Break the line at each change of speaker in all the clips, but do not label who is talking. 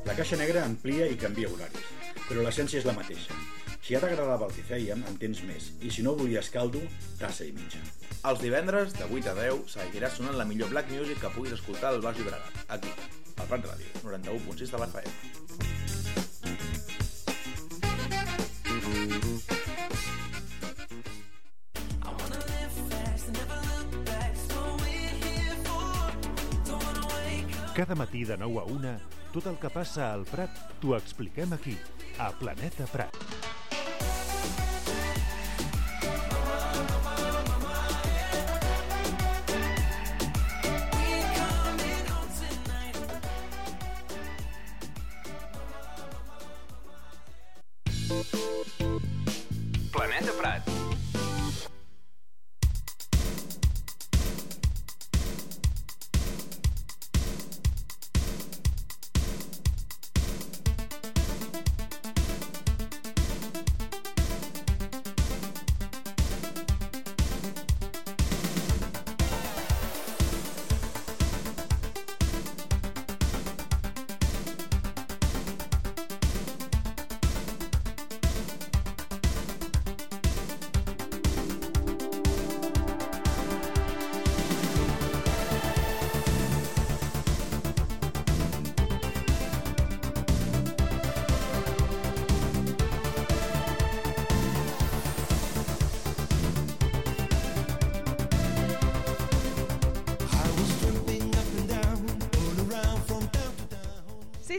La caixa negra amplia i canvia horaris, però l'essència és la mateixa. Si ja t'agradava el que fèiem, en tens més, i si no volies caldo, tassa i mitja.
Els divendres, de 8 a 10, seguirà sonant la millor black music que puguis escoltar al Baix Llobregat, aquí, al Prat Ràdio, 91.6 de l'FM.
Cada matí de 9 a 1, tot el que passa al Prat t'ho expliquem aquí, a Planeta Prat.
Planeta Prat.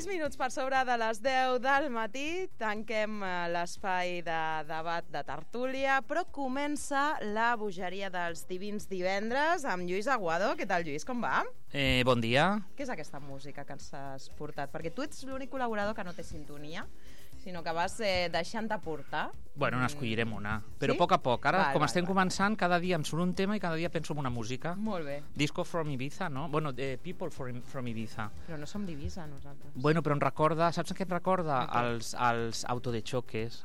Minuts per sobre de les 10 del matí, tanquem l'espai de debat de tertúlia, però comença la bogeria dels divins divendres amb Lluís Aguado. Què tal, Lluís, com va?
Bon dia.
Què és aquesta música que ens has portat? Perquè tu ets l'únic col·laborador que no té sintonia, sinó que vas deixant-te portar.
Bueno, n'escollirem una, però
sí?
A poc. Ara, estem començant, cada dia em surt un tema i cada dia penso en una música.
Molt bé.
Disco from Ibiza, no? Bueno, People from Ibiza.
Però no som d'Ibiza, nosaltres.
Bueno, però em recorda, saps què em recorda? Els auto de choques.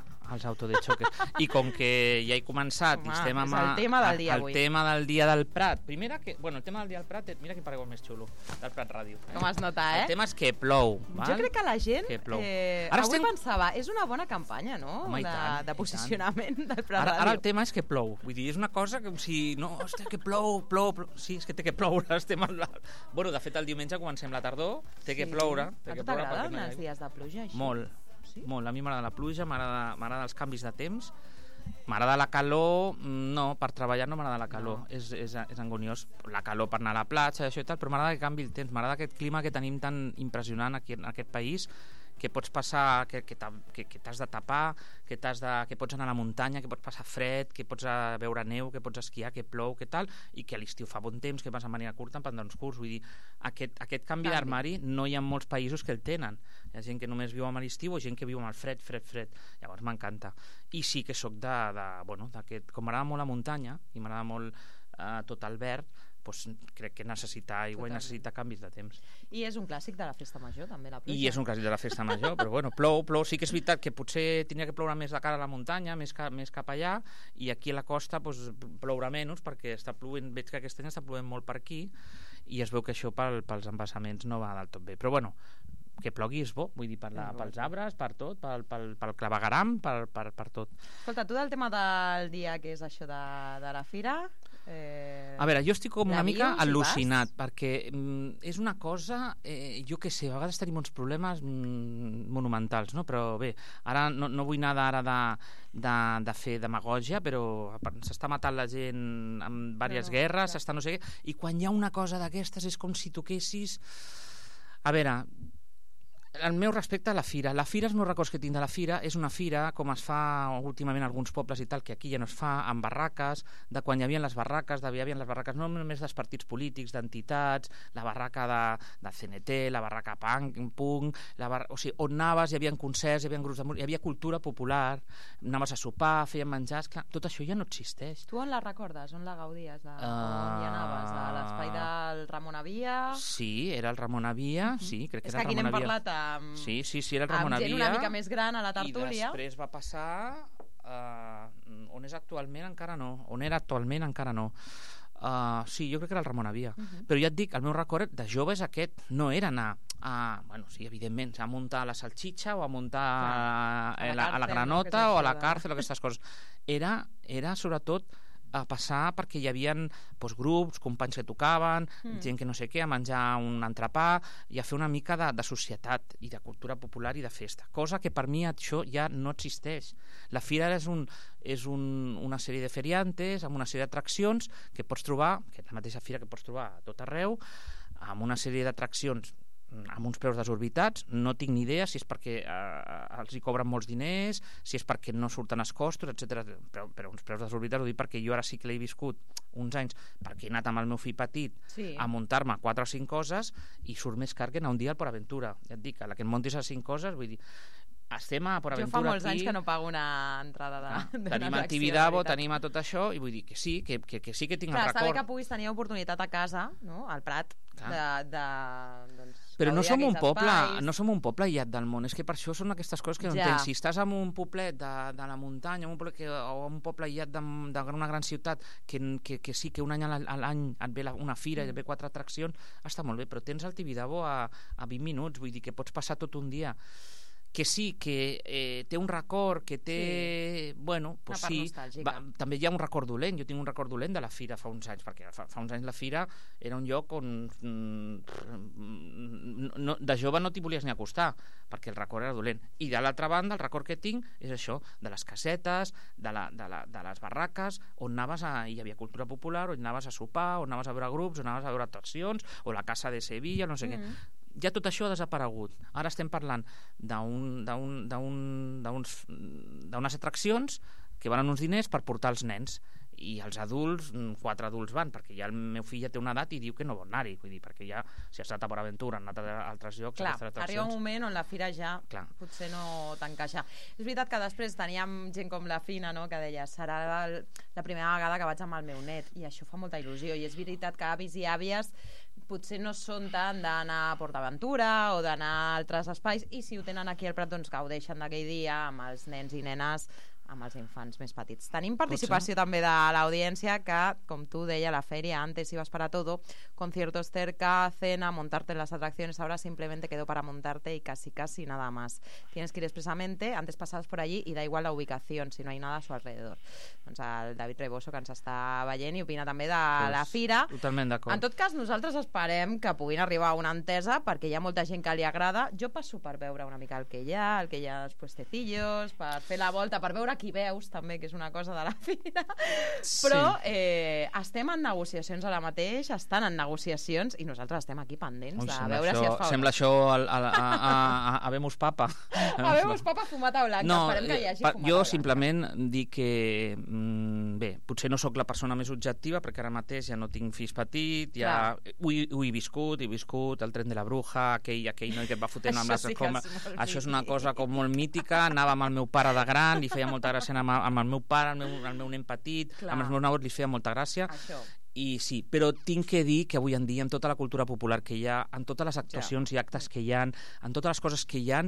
I com que ja he començat,
home,
estem amb
el tema del dia avui.
El tema del dia del Prat. El tema del dia del Prat, mira quin paragó més xulo, del Prat Ràdio.
Com es nota,
El tema és que plou. Val?
Jo crec que la gent, avui pensava, és una bona campanya, no?
Home,
de posicionament del Prat Ràdio.
Ara el tema és que plou, vull dir, és una cosa que si no, hòstia, que plou. Sí, és que té que ploure, estem Bueno, de fet, el diumenge comencem la tardor, té que ploure.
A tu t'agraden els dies de pluja, així?
Molt. Sí? Molt, a mi m'agrada la pluja, m'agrada els canvis de temps, m'agrada la calor, no, per treballar no m'agrada la calor, no. És angoniós, la calor per anar a la platja, això i tal, però m'agrada que canvi el temps, m'agrada aquest clima que tenim tan impressionant aquí en aquest país, que pots passar, que t'has de tapar, que pots anar a la muntanya, que pots passar fred, que pots veure neu, que pots esquiar, que plou, que tal, i que a l'estiu fa bon temps, que vas a manera curta en pantalons curts. Vull dir, aquest canvi d'armari no hi ha molts països que el tenen. Hi ha gent que només viu amb l'estiu o gent que viu amb el fred. Llavors m'encanta. I sí que sóc d'aquest... Com m'agrada molt la muntanya i m'agrada molt tot el verd, doncs crec que necessita aigua i necessita canvis de temps.
I és un clàssic de la festa major, també, la pluja.
I és un clàssic de la festa major, però bueno, plou. Sí que és veritat que potser tindria que ploure més de cara a la muntanya, més cap allà, i aquí a la costa doncs, plourà menys, perquè està plovent, veig que aquest any està plovent molt per aquí, i es veu que això pels embassaments no va del tot bé. Però bueno, que plogui és bo, vull dir, pels arbres, per tot, pel clavegueram, per tot.
Escolta, tu del tema del dia, que és això de la fira...
A veure, jo estic com una mica al·lucinat, perquè és una cosa, jo què sé, a vegades tenim uns problemes monumentals, no? Però bé, ara no vull anar de fer demagògia, però s'està matant la gent amb diverses guerres, s'està no sé què, i quan hi ha una cosa d'aquestes és com si toquessis... A veure... El meu respecte a la fira. La fira, els meus records que tinc de la fira, és una fira, com es fa últimament a alguns pobles i tal, que aquí ja no es fa, amb barraques, de quan hi havia les barraques, no només dels partits polítics, d'entitats, la barraca de CNT, la barraca punk, o sigui, on anaves, hi havia concerts, hi havia grups de música, hi havia cultura popular, anaves a sopar, feien menjars, clar, tot això ja no existeix.
Tu on la recordes? On la gaudies? On hi anaves? A l'espai del Ramon Avia?
Sí, era el Ramon Avia, sí, crec que era el Ramon Avia. És que aquí n'hem parlat
Sí,
era el Ramon Avia.
Gent una mica més gran a la tertúlia.
I després va passar... on és actualment encara no. On era actualment encara no. Sí, jo crec que era el Ramon Avia. Però ja et dic, el meu record de jove és aquest. No era anar bueno, sí, evidentment, a muntar la salchicha o a muntar
Clar,
a la granota o a la càrcel o aquestes coses. Era sobretot a passar perquè hi havia grups, companys que tocaven, gent que no sé què, a menjar un entrepà i a fer una mica de societat i de cultura popular i de festa, cosa que per mi això ja no existeix. La fira és una sèrie de feriantes amb una sèrie d'atraccions que pots trobar, que és la mateixa fira que pots trobar a tot arreu, amb una sèrie d'atraccions amb uns preus desorbitats. No tinc ni idea si és perquè els hi cobren molts diners, si és perquè no surten els costos, etc. Però uns preus desorbitats ho dic perquè jo ara sí que l'he viscut uns anys, perquè he anat amb el meu fill petit a muntar-me 4 o 5 coses i surt més car que anar un dia al Port Aventura. Ja et dic, a la que et montis a 5 coses, vull dir, estem a Port Aventura aquí.
Jo fa molts anys que no pago una entrada
tenim a Tibidabo, tenim a tot això, i vull dir que sí que tinc el record.
Està bé que puguis tenir oportunitat a casa, no? Al Prat,
però no som un poble aïllat del món, és que per això són aquestes coses que no entenc. Si estàs en un poblet de la muntanya o un poble aïllat d'una gran ciutat que sí que un any a l'any et ve una fira i et ve 4 atraccions, està molt bé, però tens el Tibidabo a 20 minuts, vull dir que pots passar tot un dia. Que sí, que té un record, que té... Bueno, doncs sí, també hi ha un record dolent. Jo tinc un record dolent de la fira fa uns anys, perquè fa uns anys la fira era un lloc on de jove no t'hi volies ni acostar, perquè el record era dolent. I de l'altra banda, el record que tinc és això, de les casetes, de les barraques, on anaves hi havia cultura popular, on anaves a sopar, on anaves a veure grups, on anaves a veure atraccions, o la Casa de Sevilla, no sé què. Ja tot això ha desaparegut. Ara estem parlant d'unes atraccions que van uns diners per portar els nens, i els adults, 4 adults van, perquè ja el meu fill ja té una edat i diu que no vol anar-hi, vull dir, perquè ja si has anat a Port Aventura, han anat a altres llocs...
Clar, arriba un moment on la fira ja potser no t'encaixa. És veritat que després teníem gent com la Fina, no?, que deia, serà la primera vegada que vaig amb el meu net, i això fa molta il·lusió, i és veritat que avis i àvies potser no són tant d'anar a Port Aventura o d'anar a altres espais, i si ho tenen aquí al Prat, doncs gaudeixen d'aquell dia amb els nens i nenes, amb els infants més petits. Tenim participació també de l'audiència que, com tu deia, la feria antes ibas para todo, conciertos cerca, cena, montarte en las atracciones, ahora simplemente quedó para montarte y casi nada más. Tienes que ir expresamente, antes pasabas por allí y da igual la ubicación, si no hay nada a su alrededor. Doncs el David Reboso, que ens està veient i opina també de la fira.
Totalment d'acord.
En tot cas, nosaltres esperem que puguin arribar a una entesa, perquè hi ha molta gent que li agrada. Jo passo per veure una mica el que hi ha els puestecillos, per fer la volta, per veure qui veus també, que és una cosa de la fira, però estem en negociacions ara mateix, estan en negociacions i nosaltres estem aquí pendents de veure si es fa.
Sembla això a Vemos Papa.
A Vemos Papa fumata blanca, esperem que hi hagi fumata blanca.
Jo simplement dic que bé, potser no sóc la persona més objectiva, perquè ara mateix ja no tinc fills petits, ja ho he viscut el tren de la bruja, aquell noi que et va fotent amb les escombres. Això és una cosa com molt mítica. Anava amb el meu pare de gran, li feia molta gràcia anar amb el meu pare, el meu nen petit, amb els meus nebots li feia molta gràcia. I sí, però tinc que dir que avui en dia, amb tota la cultura popular que hi ha, en totes les actuacions i actes que hi ha, en totes les coses que hi ha,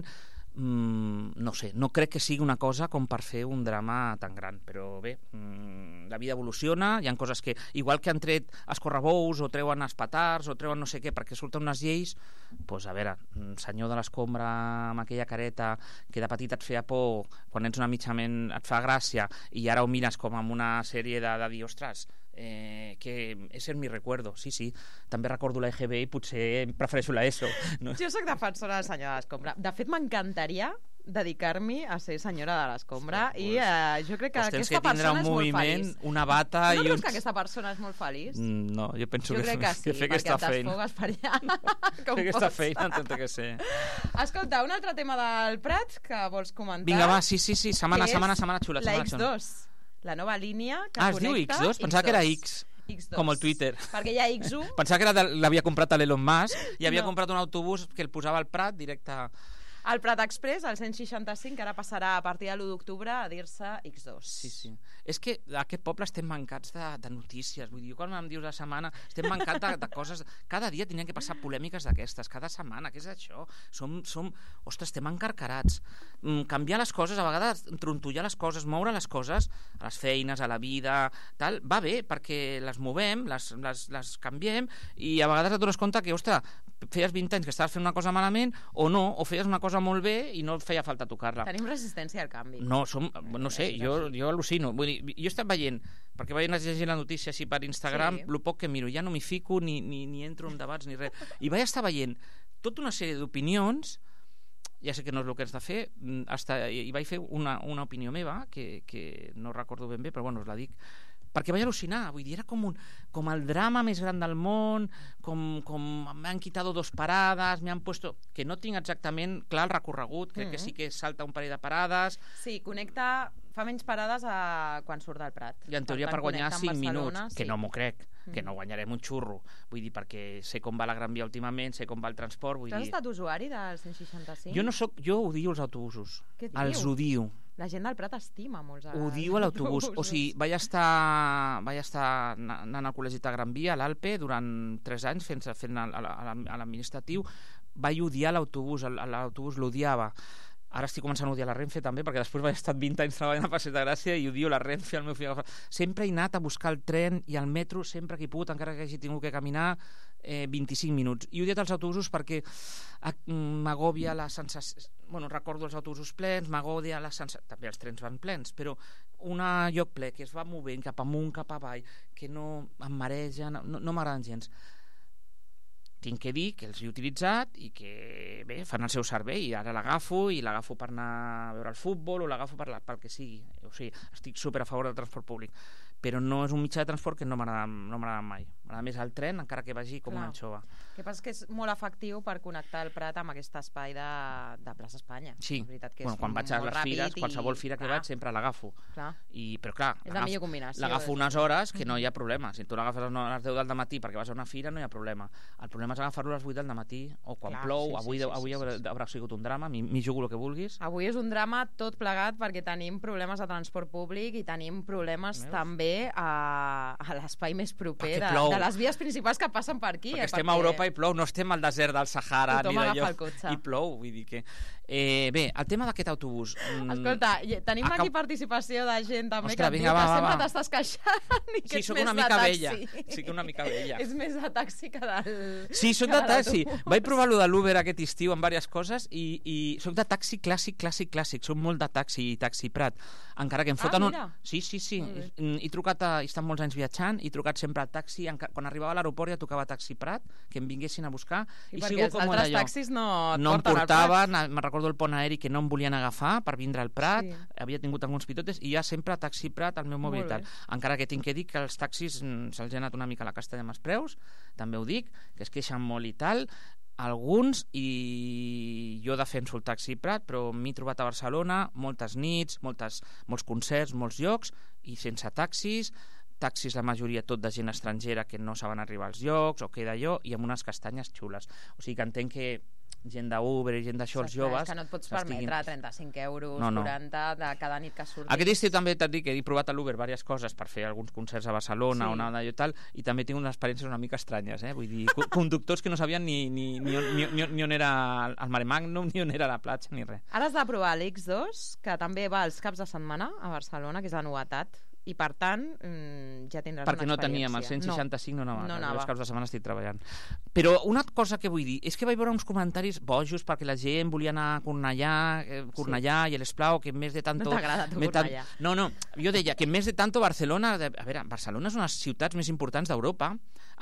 no sé, no crec que sigui una cosa com per fer un drama tan gran, però bé, la vida evoluciona, hi ha coses que, igual que han tret escorrebous o treuen els petards o treuen no sé què perquè surten unes lleis, doncs a veure, senyor de l'escombra amb aquella careta que de petit et feia por, quan ets una mitjament et fa gràcia i ara ho mires com amb una sèrie de dir, ostres, que és el mi recuerdo, sí, també recordo la EGB i potser prefereixo la ESO, no?
Jo soc defensora del senyor de l'escombra, de fet m'encantaria dedicar-me a ser senyora de l'escombra i jo crec que aquesta persona és molt feliç.
Una bata
no creus que aquesta persona és molt feliç?
No, jo penso
que sí,
fer aquesta feina.
Perquè et desfogues per allà.
Fer aquesta feina té que ser.
Escolta, un altre tema del Prat que vols comentar.
Vinga, va, sí, setmana xula.
La X2, la nova línia que
connecta. Es diu X2? Pensava que era X.
X2.
Com el Twitter.
Perquè hi ha X1.
Pensava que l'havia comprat a l'Elon Musk i havia comprat un autobús que el posava al Prat directe a...
El Prat Express, el 165, que ara passarà a partir de l'1 d'octubre a dir-se X2.
Sí. És que a aquest poble estem mancats de notícies. Vull dir, quan em dius la setmana, estem mancats de coses... Cada dia tenien que passar polèmiques d'aquestes, cada setmana. Què és això? Ostres, estem encarcarats. Canviar les coses, a vegades trontollar les coses, moure les coses, a les feines, a la vida, tal, va bé, perquè les movem, les canviem, i a vegades et dones compte que, ostres, feies 20 anys que estaves fent una cosa malament, o no, o feies una cosa molt bé i no feia falta tocar-la.
Tenim resistència al canvi.
No sé, jo al·lucino. Vull dir, jo he estat veient, perquè vaig llegir la notícia així per Instagram, el poc que miro, ja no m'hi fico ni entro en debats ni res. I vaig estar veient tota una sèrie d'opinions, ja sé que no és el que has de fer, i vaig fer una opinió meva, que no recordo ben bé, però bueno, us la dic, perquè vaig al·lucinar, vull dir, era com el drama més gran del món, com m'han quitado 2 parades, m'han puesto... que no tinc exactament clar el recorregut, crec que sí que salta un parell de parades...
Sí, connecta... fa menys parades quan surt del Prat.
I en teoria per guanyar 5 minuts, que no m'ho crec, que no guanyarem un xurro. Vull dir, perquè sé com va la Gran Via últimament, sé com va el transport, vull dir...
Tu has estat usuari del 165?
Jo odio els autobusos.
Què dius?
Els odio.
La gent del Prat estima molts autobusos.
Odio l'autobús. O sigui, vaig estar anant al col·legi de Gran Via, a l'Alpe, durant 3 anys fent a l'administratiu. Vaig odiar l'autobús l'odiava. Ara estic començant a odiar la Renfe també, perquè després vaig estar 20 anys treballant a Passeig de Gràcia i odio la Renfe, el meu fill. Sempre he anat a buscar el tren i el metro sempre que he pogut, encara que hagi tingut que caminar 25 minuts. I he odiat els autobusos perquè m'agòbia la sensació... Bueno, recordo els autobusos plens, m'agòbia la sensació... També els trens van plens, però un lloc ple que es va movent cap amunt, cap avall, que no em mareja, no m'agraden gens. Tinc que dir que els he utilitzat i que, bé, fan el seu servei i ara l'agafo per anar a veure el futbol o l'agafo pel que sigui. O sigui, estic super a favor del transport públic, però no és un mitjà de transport que no m'agrada mai. M'agrada més el tren, encara que vagi com una anxova.
El que passa és que és molt efectiu per connectar el Prat amb aquest espai de Plaça Espanya.
Sí,
que
quan vaig a les fires, qualsevol fira que vaig sempre l'agafo. Però clar,
és la millor combinació.
L'agafo unes hores que no hi ha problema. Si tu l'agafes a les 10 del matí perquè vas a una fira no hi ha problema. El problema és agafar-lo a les 8 del matí o quan plou. Avui haurà sigut un drama, m'hi jugo el que vulguis.
Avui és un drama tot plegat perquè tenim problemes de transport públic i tenim problemes també a l'espai més proper de les vies principals que passen per aquí.
Perquè estem a Europa i plou, no estem al desert del Sahara
ni d'allò,
i plou, vull dir que... Bé, el tema d'aquest autobús...
Escolta, tenim aquí participació de gent també que et diu que sempre t'estàs queixant i que ets més de taxi.
Sí, que una mica vella.
És més de taxi que del...
Sí, soc de taxi. Vaig provar lo de l'Uber aquest estiu en diverses coses i soc de taxi clàssic. Soc molt de taxi i taxi Prat. Encara que em foten un... Sí. He trucat, he estat molts anys viatjant, he trucat sempre al taxi. Quan arribava a l'aeroport ja tocava taxi Prat, que em vinguessin a buscar.
I perquè els altres taxis no et porten al
Prat. Me'n recordo el pont aeri que no em volien agafar per vindre al Prat, havia tingut alguns pitotes i ja sempre taxi Prat al meu mòbil. Encara que tinc que dir que els taxis se'ls ha anat una mica a la castella amb els preus, també ho dic, que es queixen molt i tal, alguns, i jo defenso el taxi Prat, però m'he trobat a Barcelona moltes nits, molts concerts, molts llocs, i sense taxis la majoria tot de gent estrangera que no saben arribar als llocs o queda allò, i amb unes castanyes xules. O sigui que entenc que gent d'Uber i gent d'això, els joves...
És que no et pots permetre 35 euros, 40 de cada nit que surtis.
Aquest estiu també t'he dit que he provat a l'Uber diverses coses per fer alguns concerts a Barcelona o anar i tal, i també tinc unes experiències una mica estranyes, vull dir, conductors que no sabien ni on era el Mare Magnum, ni on era la platja, ni res.
Ara has de provar l'X2, que també va els caps de setmana a Barcelona, que és la novetat, i per tant ja tindràs
perquè
una experiència.
Perquè no teníem el 165, no anava. Els caps de setmana estic treballant. Però una cosa que vull dir és que vaig veure uns comentaris bojos perquè la gent volia anar a Cornellà i l'Esplau, que més de tanto...
No t'agrada tu Cornellà?
No, jo deia que més de tanto Barcelona... A veure, Barcelona és una de les ciutats més importants d'Europa,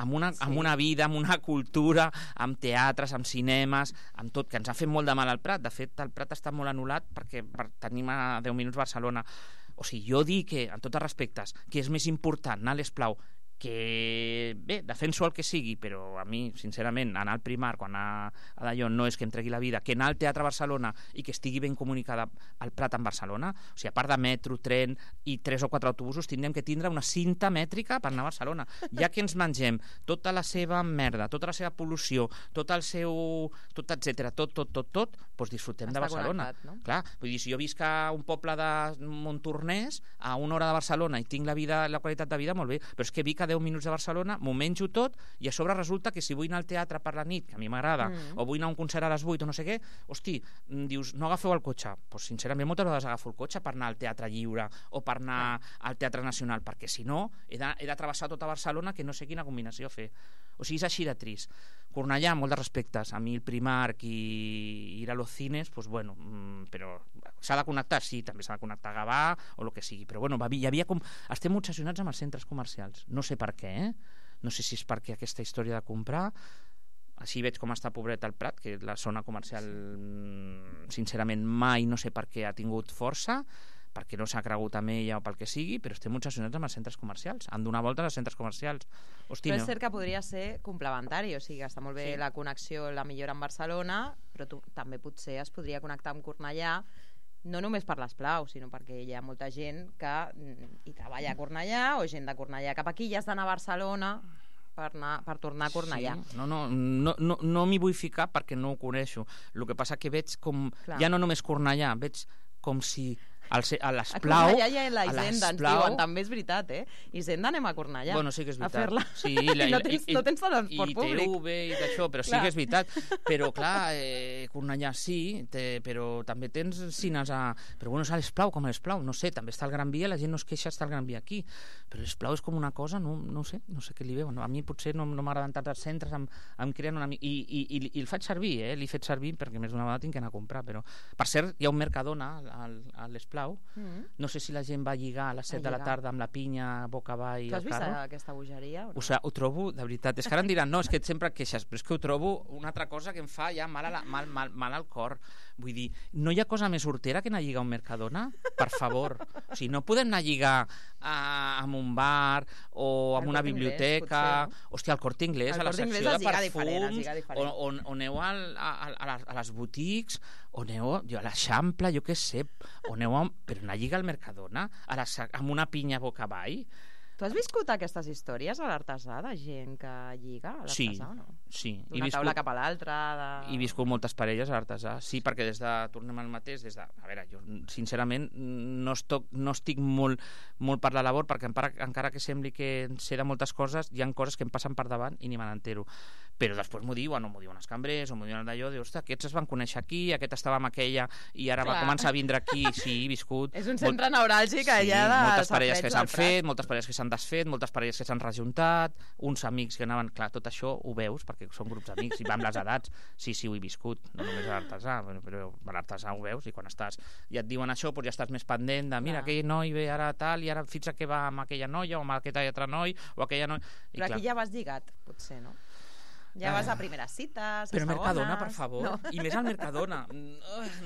amb una vida, amb una cultura, amb teatres, amb cinemes, amb tot, que ens ha fet molt de mal al Prat. De fet, el Prat està molt anul·lat perquè tenim a 10 minuts Barcelona. O sigui, jo dic que, en tots els respectes, que és més important anar a l'Esplau, que, bé, defenso el que sigui, però a mi, sincerament, anar al Primar, quan anar a d'allò no és que em tregui la vida, que anar al Teatre Barcelona i que estigui ben comunicada al Prat amb Barcelona, o sigui, a part de metro, tren i 3 o 4 autobusos, tindrem que tindre una cinta mètrica per anar a Barcelona. Ja que ens mengem tota la seva merda, tota la seva pol·lució, tot el seu... tot, etcètera, tot, doncs disfrutem de Barcelona.
No?
Clar, vull dir, si jo visc a un poble de Montornès, a 1 hora de Barcelona i tinc la qualitat de vida, molt bé, però és que Vic a 10 minuts de Barcelona, m'ho menjo tot, i a sobre resulta que si vull anar al teatre per la nit, que a mi m'agrada, o vull anar a un concert a les 8 o no sé què, hosti, dius, no agafeu el cotxe. Pues, sincerament, moltes vegades agafo el cotxe per anar al Teatre Lliure o per anar al Teatre Nacional, perquè si no, he de travessar tota Barcelona, que no sé quina combinació fer. O sigui, és així de trist. Cornellà, molt de respectes. A mi el Primark i ir a los cines, pues bueno, però s'ha de connectar, sí, també s'ha de connectar a Gavà o el que sigui, però bueno, hi havia com... Estem obsessionats amb els centres comercials. No sé per què, No sé si és perquè aquesta història de comprar... Així veig com està pobret el Prat, que la zona comercial, sincerament, mai no sé per què ha tingut força, perquè no s'ha cregut amb ella o pel que sigui, però estem obsessionats amb els centres comercials. Han donat voltes als centres comercials. Hosti,
però és cert que podria ser complementari, o sigui, està molt bé la connexió, la millora amb Barcelona, però també potser es podria connectar amb Cornellà, no només per l'Esplau, sinó perquè hi ha molta gent que hi treballa a Cornellà, o gent de Cornellà cap aquí, i has d'anar a Barcelona per tornar a Cornellà.
Sí. No m'hi vull ficar perquè no ho coneixo. El que passa que veig com... Ja no només Cornellà, veig com si a l'Esplau...
A Cornellà hi ha la Hisenda, ens diuen, també és veritat, Hisenda anem a Cornellà.
Bueno, sí que és veritat.
A fer-la.
Sí,
no tens transport públic.
I TV i d'això, però sí que és veritat. Però, clar, Cornellà sí, però també tens cines a... Però bueno, és a l'Esplau, com a l'Esplau. No sé, també està el Gran Via, la gent no es queixa, està el Gran Via aquí. Però l'Esplau és com una cosa, no sé què li veuen. A mi potser no m'agraden tant els centres, em creen una mica... I el faig servir, l'he fet servir perquè més d'una vegada tinc que anar a comprar, però... Per cert, hi ha un Mercadona a l'Esplau. No sé si la gent va lligar a les 7 de la tarda amb la pinya boca avall.
Tu has vist aquesta bogeria?
O sigui, ho trobo, de veritat, és que ara em diran, no, és que sempre et queixes, però és que ho trobo una altra cosa que em fa ja mal al cor. Vull dir, no hi ha cosa més hortera que anar a lligar a un Mercadona? Per favor. O sigui, no podem anar a lligar amb un bar o amb una biblioteca... Hòstia, al Corte Inglés, a la secció de perfums, o aneu a les boutiques, o aneu a l'Eixample, jo què sé, o aneu però anar a lligar al Mercadona amb una pinya boca avall.
Tu has viscut aquestes històries a l'Artesà de gent que lliga a l'Artesà o no?
Sí.
D'una taula cap a l'altra...
He viscut moltes parelles a l'Artesà, sí, perquè tornem al mateix, a veure, jo sincerament no estic molt per la labor, perquè encara que sembli que sé de moltes coses, hi ha coses que em passen per davant i ni me n'entero. Però després m'ho diuen els cambrers, o m'ho diuen d'allò, dius, ostres, aquests es van conèixer aquí, aquest estava amb aquella, i ara va començar a vindre aquí, sí, he viscut...
És un centre neuràlgic allà de...
Moltes parelles que s'han fet, moltes parelles que s'han desfet, moltes parelles que s'han rejuntat, uns amics que anaven... Clar, tot això ho veus, perquè són grups d'amics, i va amb les edats. Sí, ho he viscut, no només a l'Artesà, però a l'Artesà ho veus, i quan estàs... Ja et diuen això, doncs ja estàs més pendent de, mira, aquell noi ve ara tal, i ara fins a què va amb aquella noia, o amb aquest altre noi, o aquella noia...
Però aquí ja vas lligat, potser, no? Ja vas a primeres cites, a
però
segones...
Mercadona, per favor, no. I més al Mercadona.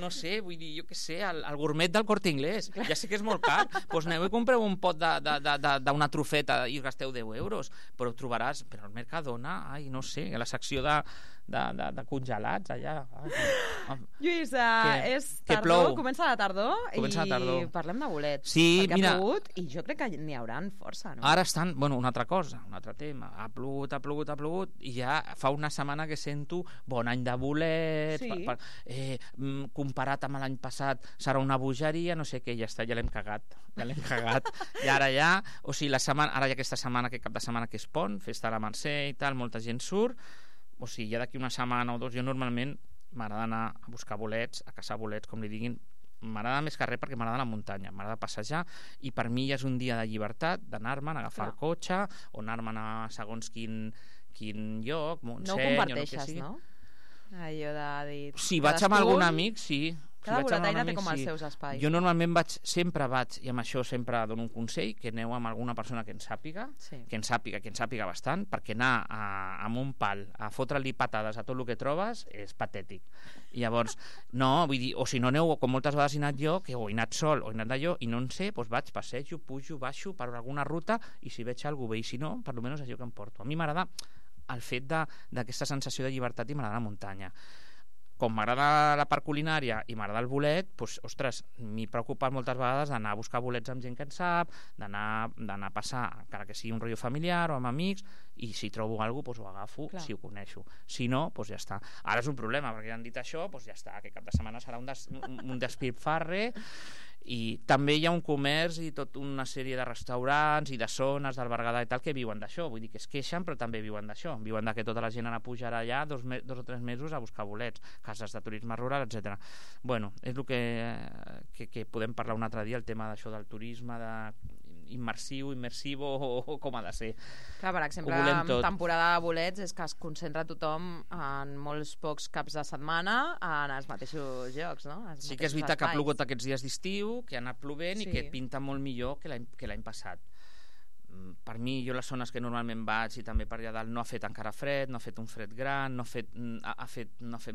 No sé, vull dir, jo què sé, el gourmet del Corte Inglés. Ja sé que és molt car, doncs aneu i compreu un pot d'una trufeta i gasteu 10 euros, però ho trobaràs, però al Mercadona, no sé, a la secció de congelats allà.
Lluís, és tardor, comença la tardor i parlem de bolets.
Sí,
perquè
mira,
ha plogut i jo crec que n'hi hauran força, no?
Ara estan, bueno, una altra cosa, un altre tema. Ha plogut i ja fa una setmana que sento bon any de bolets,
sí.
Comparat amb l'any passat serà una bogeria, no sé què, ja està, ja l'hem cagat. I ara ja, o sigui, ara ja aquesta setmana, aquest cap de setmana que és pont, festa a la Mercè i tal, molta gent surt, o sigui, ja d'aquí una setmana o dos, jo normalment m'agrada anar a buscar bolets, a caçar bolets, com li diguin, m'agrada més que res perquè m'agrada la muntanya, m'agrada passejar, i per mi ja és un dia de llibertat, d'anar-me'n, agafar el cotxe, o anar-me'n a segons quin lloc, Montseny...
No ho comparteixes, no? Allò de dir...
Si vaig amb algun amic, sí.
Cada boletaire té com els seus espais.
Jo normalment sempre vaig, i amb això sempre dono un consell, que aneu amb alguna persona que en sàpiga, que en sàpiga bastant, perquè anar amb un pal a fotre-li patades a tot el que trobes és patètic. I llavors, no, vull dir, o si no aneu, com moltes vegades he anat jo, que he anat sol o he anat d'allò, i no en sé, doncs vaig, passejo, pujo, baixo per alguna ruta, i si veig algú bé, i si no, per almenys és allò que em porto. A mi m'agrada el fet d'aquesta sensació de llibertat, i m'agrada la muntanya. Com m'agrada la part culinària i m'agrada el bolet, doncs, ostres, m'he preocupat moltes vegades d'anar a buscar bolets amb gent que en sap, d'anar a passar, encara que sigui un rotllo familiar o amb amics, i si trobo alguna cosa, doncs ho agafo. Clar. Si ho coneixo. Si no, doncs ja està. Ara és un problema, perquè ja han dit això, doncs ja està, aquest cap de setmana serà un despilfarre, I també hi ha un comerç i tota una sèrie de restaurants i de zones del Berguedà i tal que viuen d'això, vull dir que es queixen però també viuen d'això, viuen que tota la gent anar a pujar allà 2 o 3 mesos a buscar bolets, cases de turisme rural, etc. Bueno, és el que podem parlar un altre dia, el tema d'això del turisme, immersivo o com ha de ser.
Clar, per exemple, en temporada de bolets és que es concentra tothom en molts pocs caps de setmana en els mateixos llocs, no?
Sí que és veritat que ha plogut aquests dies d'estiu, que ha anat plovent i que pinta molt millor que l'any passat. Per mi, jo les zones que normalment vaig i també per allà dalt no ha fet encara fred, no ha fet un fred gran, no ha fet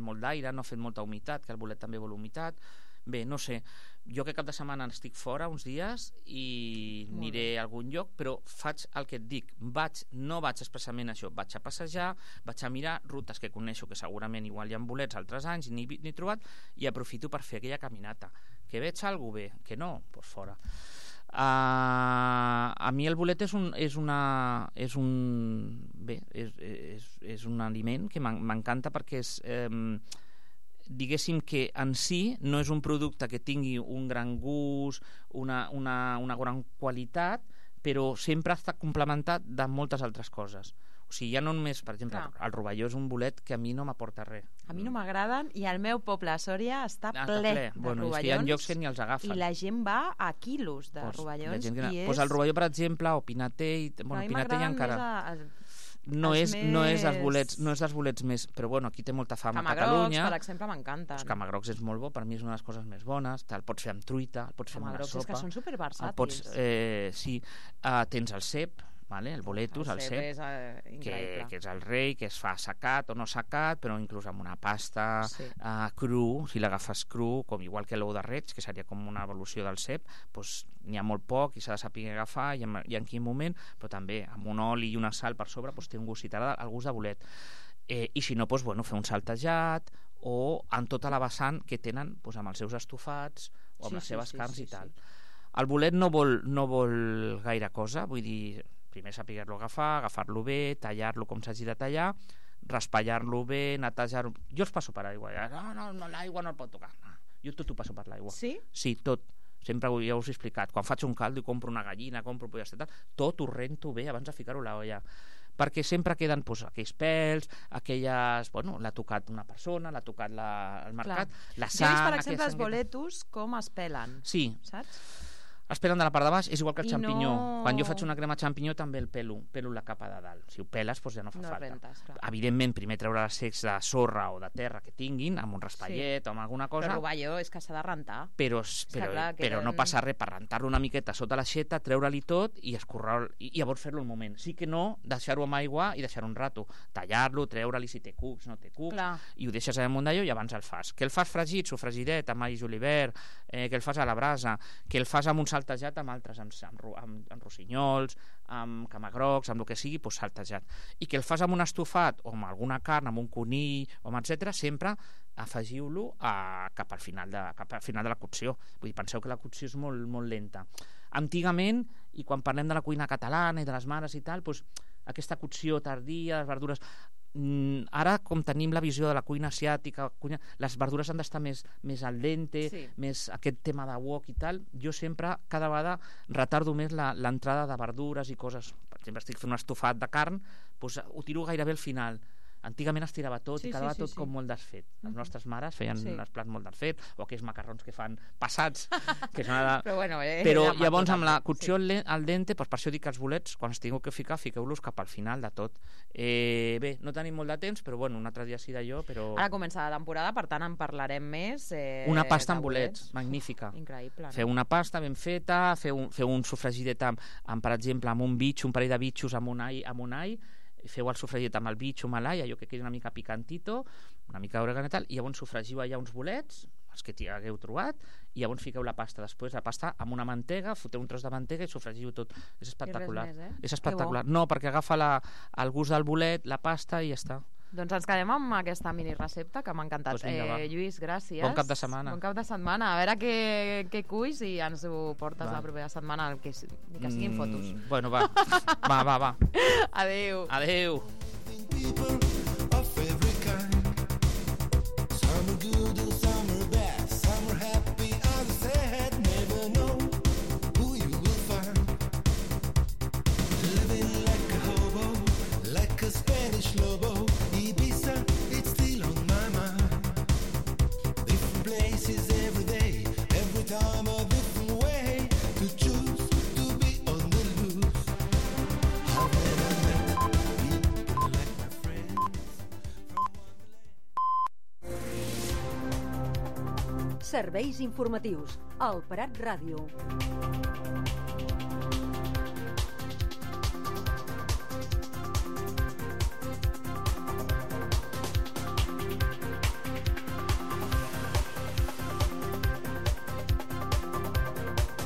molt d'aire, no ha fet molta humitat, que el bolet també vol humitat. Bé, no sé, jo que cap de setmana estic fora uns dies i aniré a algun lloc, però faig el que et dic, no vaig expressament a això, vaig a passejar, vaig a mirar rutes que coneixo, que segurament igual hi ha bolets altres anys, ni he trobat, i aprofito per fer aquella caminata. Que veig alguna cosa bé, que no, doncs fora. A mi el bolet és un aliment que m'encanta perquè és... diguéssim que en si no és un producte que tingui un gran gust, una gran qualitat, però sempre està complementat de moltes altres coses. O sigui, ja no només, per exemple, el rovelló és un bolet que a mi no m'aporta res.
A mi no m'agraden i el meu poble, a Sòria, està ple de rovellons.
És que hi ha llocs que ni els agafen.
I la gent va a quilos de rovellons.
El rovelló, per exemple, o pinater... Bueno, pinater ja encara... No és dels bolets més, però bueno, aquí té molta fama a Catalunya.
Camagrocs, per exemple, m'encanten.
Els camagrocs és molt bo, per mi és una de les coses més bones. El pots fer amb truita, el pots fer amb una sopa.
Camagrocs és que són superversàtils.
Sí, tens el cep, el boletus, el cep, que és el rei, que es fa assecat o no assecat, però inclús amb una pasta cru, si l'agafes cru, com igual que l'ou de reig, que seria com una evolució del cep, doncs n'hi ha molt poc i s'ha de saber agafar i en quin moment, però també amb un oli i una sal per sobre té un gust, el gust de bolet. I si no, fer un saltejat o en tota la vessant que tenen amb els seus estofats o amb les seves carns i tal. El bolet no vol gaire cosa, vull dir, primer saber-lo agafar-lo bé, tallar-lo com s'hagi de tallar, raspallar-lo bé, netejar-lo... Jo els passo per aigua. No, l'aigua no el pot tocar. Jo tot ho passo per l'aigua.
Sí?
Sí, tot. Sempre ja us he explicat. Quan faig un caldo i compro una gallina, compro pollastre i tal, tot ho rento bé abans de ficar-ho a l'olla. Perquè sempre queden aquells pèls, aquelles... l'ha tocat una persona, l'ha tocat el mercat, la sang...
Jo he vist, per exemple, els boletus com es pelen.
Sí.
Saps?
Es pelen de la part de baix, és igual que el xampinyó. Quan jo faig una crema xampinyó també el pelo la capa de dalt. Si ho peles, doncs ja no fa falta.
Rentes,
evidentment, primer treure els secs de sorra o de terra que tinguin, amb un raspallet o amb alguna cosa.
Però el rovelló és que s'ha de rentar.
Però no passa res per rentar-lo una miqueta sota l'aixeta, treure-li tot i escorrar i llavors fer-lo un moment. Sí que no deixar-ho amb aigua i deixar-ho un rato. Tallar-lo, treure-li si té cucs, no té cucs, i ho deixes amunt d'allò i abans el fas. Que el fas fregit, sofregidet, amb all i julivert, que el fas a la brasa, que el fas amb un saltejat amb altres, amb rossinyols, amb camagrocs, amb el que sigui, doncs saltejat. I que el fas amb un estofat o amb alguna carn, amb un conill, etc., sempre afegiu-lo cap al final de la cocció. Vull dir, penseu que la cocció és molt, molt lenta. Antigament, i quan parlem de la cuina catalana i de les mares i tal, doncs aquesta cocció tardia, les verdures... Ara, com tenim la visió de la cuina asiàtica, les verdures han d'estar més al dente, més aquest tema de wok i tal, jo sempre, cada vegada, retardo més l'entrada de verdures i coses. Per exemple, estic fent un estofat de carn, doncs ho tiro gairebé al final. Antigament es tirava tot i quedava tot com molt desfet. Les nostres mares feien els plats molt desfet, o aquells macarrons que fan passats, que són però llavors amb la cocció al dente, per això dic que els bolets, quan es tingueu que ficar, fiqueu-los cap al final de tot. Bé, no tenim molt de temps, però un altre dia sí d'allò, però...
Ara comença la temporada, per tant en parlarem més.
Una pasta amb bolets, magnífica.
Increïble.
Feu una pasta ben feta, feu un sofregidet amb, per exemple, amb un bitxo, un parell de bitxos amb un all, feu el sofregit amb el bitxo, amb l'all, allò que quedi una mica picantito, una mica d'orégano i tal, i llavors sofregiu allà uns bolets, els que hagueu trobat, i llavors fiqueu la pasta. Després la pasta amb una mantega, foteu un tros de mantega i sofregiu tot. És espectacular. És espectacular. No, perquè agafa el gust del bolet, la pasta i ja està.
Doncs ens quedem amb aquesta mini recepta que m'ha encantat. Lluís, gràcies.
Bon cap de setmana.
Bon cap de setmana. A veure què cuis i ens ho portes la propera setmana, que siguin fotos.
Bueno, va. Va.
Adéu.
Adéu.
Some are good and some are bad. Some are happy, others sad. Never places every day, every time a different way to choose to be on the loose. I've never met people like my friends from Wonderland.
Serveis informatius al Prat Ràdio.